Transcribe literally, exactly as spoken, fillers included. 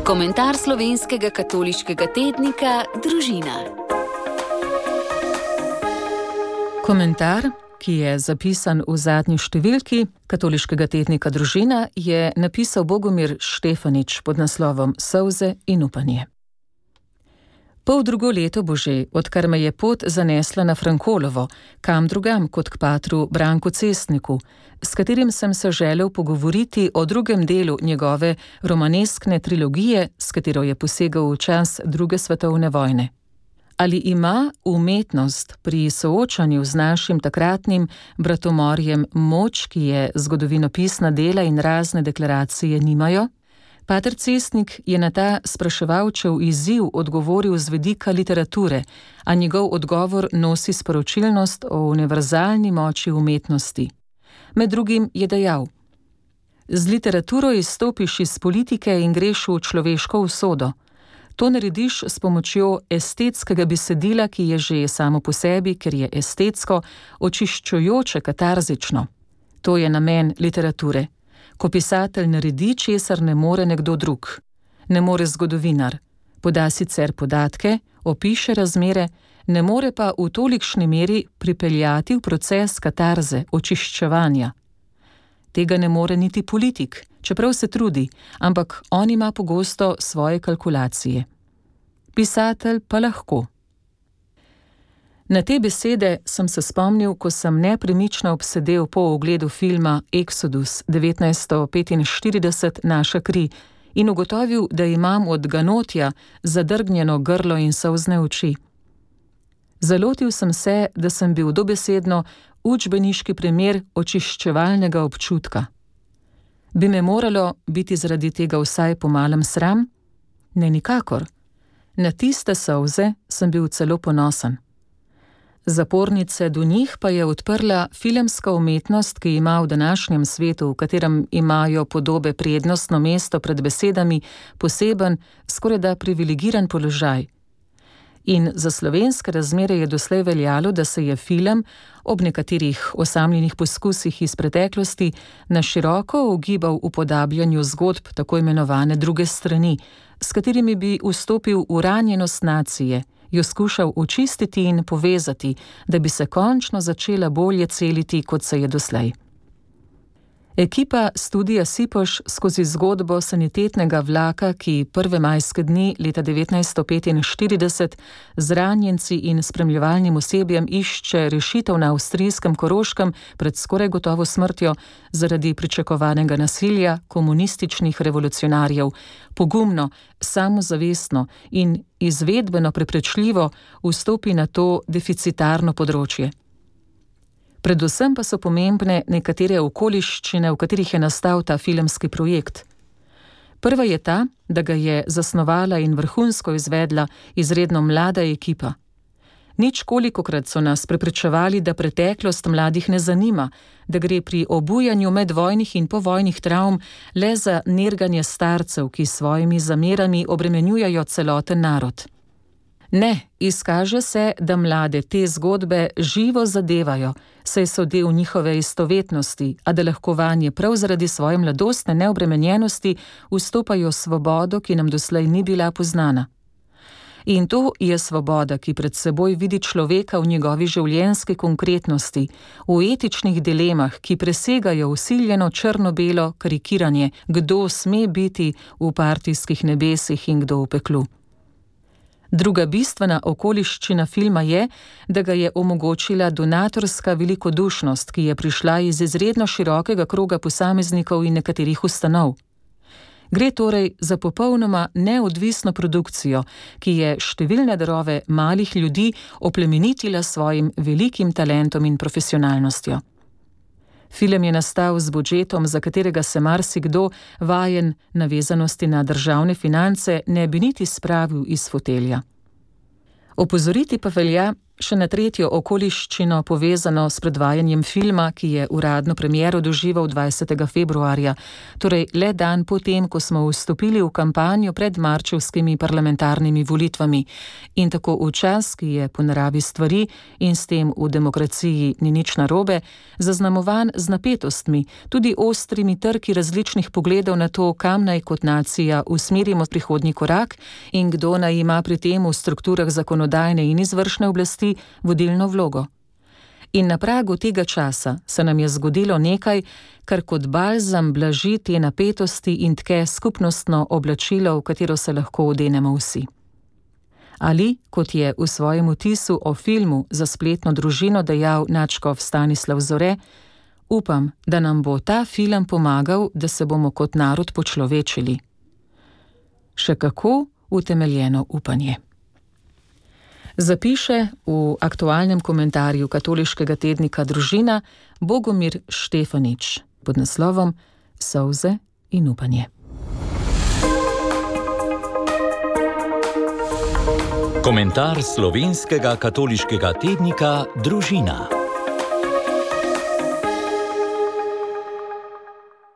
Komentar slovenskega katoliškega tednika Družina. Komentar, ki je zapisan v zadnji številki katoliškega tednika Družina, je napisal Bogomir Štefanič pod naslovom Solze in upanje. Pol drugo leto bo že, odkar me je pot zanesla na Frankolovo, kam drugam kot k patru Branku Cestniku, s katerim sem se želel pogovoriti o drugem delu njegove romaneskne trilogije, s katero je posegal v čas druge svetovne vojne. Ali ima umetnost pri soočanju z našim takratnim bratomorjem moč, ki je zgodovinopisna dela in razne deklaracije nimajo? Pater Cestnik je na ta spraševalčev izziv odgovoril z vidika literature, a njegov odgovor nosi sporočilnost o univerzalni moči umetnosti. Med drugim je dejal: z literaturo izstopiš iz politike in greš v človeško usodo. To narediš s pomočjo estetskega besedila, ki je že samo po sebi, ker je estetsko, očiščujoče, katarzično. To je namen literature. Ko pisatelj naredi, česar ne more nekdo drug. Ne more zgodovinar. Poda sicer podatke, opiše razmere, ne more pa v tolikšni meri pripeljati v proces katarze, očiščevanja. Tega ne more niti politik, čeprav se trudi, ampak on ima pogosto svoje kalkulacije. Pisatelj pa lahko. Na te besede sem se spomnil, ko sem nepremično obsedel po ogledu filma Exodus devetnajststo petinštirideset Naša kri in ugotovil, da imam od ganotja zadrgnjeno grlo in solzne oči. Zalotil sem se, da sem bil dobesedno učbeniški primer očiščevalnega občutka. Bi me moralo biti zaradi tega vsaj pomalem sram? Ne, nikakor. Na tiste solze sem bil celo ponosen. Zapornice do njih pa je odprla filmska umetnost, ki ima v današnjem svetu, v katerem imajo podobe prednostno mesto pred besedami, poseben, skorajda privilegiran položaj. In za slovenske razmere je doslej veljalo, da se je film, ob nekaterih osamljenih poskusih iz preteklosti, na široko ugibal v upodabljanju zgodb tako imenovane druge strani, s katerimi bi vstopil v ranjenost nacije, jo skušal očistiti in povezati, da bi se končno začela bolje celiti, kot se je doslej. Ekipa Studia Sipoš skozi zgodbo sanitetnega vlaka, ki prve majske dni leta devetnajststo petinštirideset z ranjenci in spremljevalnim osebjem išče rešitev na avstrijskem Koroškem pred skoraj gotovo smrtjo zaradi pričakovanega nasilja komunističnih revolucionarjev, pogumno, samozavestno in izvedbeno preprečljivo vstopi na to deficitarno področje. Predvsem pa so pomembne nekatere okoliščine, v katerih je nastal ta filmski projekt. Prva je ta, da ga je zasnovala in vrhunsko izvedla izredno mlada ekipa. Nič kolikokrat so nas prepričevali, da preteklost mladih ne zanima, da gre pri obujanju medvojnih in povojnih travm le za nerganje starcev, ki s svojimi zamerami obremenjujejo celoten narod. Ne, izkaže se, da mlade te zgodbe živo zadevajo, saj so del njihove istovetnosti, a da lahko vanje prav zaradi svoje mladostne neobremenjenosti vstopajo svobodo, ki nam doslej ni bila poznana. In to je svoboda, ki pred seboj vidi človeka v njegovi življenjski konkretnosti, v etičnih dilemah, ki presegajo vsiljeno črno-belo karikiranje, kdo sme biti v partijskih nebesih in kdo v peklu. Druga bistvena okoliščina filma je, da ga je omogočila donatorska velikodušnost, ki je prišla iz izredno širokega kroga posameznikov in nekaterih ustanov. Gre torej za popolnoma neodvisno produkcijo, ki je številne darove malih ljudi oplemenitila s svojim velikim talentom in profesionalnostjo. Film je nastal z budžetom, za katerega se marsikdo, vajen navezanosti na državne finance, ne bi niti spravil iz fotelja. Opozoriti pa velja še na tretjo okoliščino povezano s predvajanjem filma, ki je uradno premiero doživel dvajsetega februarja, torej le dan potem, ko smo vstopili v kampanjo pred marčevskimi parlamentarnimi volitvami. In tako v čas, ki je po naravi stvari in s tem v demokraciji ni nič narobe, zaznamovan z napetostmi, tudi ostrimi trki različnih pogledov na to, kam naj kot nacija usmerimo prihodnji korak in kdo naj ima pri tem v strukturah zakonodajne in izvršne oblasti vodilno vlogo. In na pragu tega časa se nam je zgodilo nekaj, kar kot balzam blaži te napetosti in tke skupnostno oblačilo, v katero se lahko odenemo vsi. Ali, kot je v svojem vtisu o filmu za spletno družino dejal nadškof Stanislav Zore, upam, da nam bo ta film pomagal, da se bomo kot narod počlovečili. Še kako utemeljeno upanje. Zapiše v aktualnem komentarju katoliškega tednika Družina Bogomir Štefanič pod naslovom Solze in upanje. Komentar slovenskega katoliškega tednika Družina.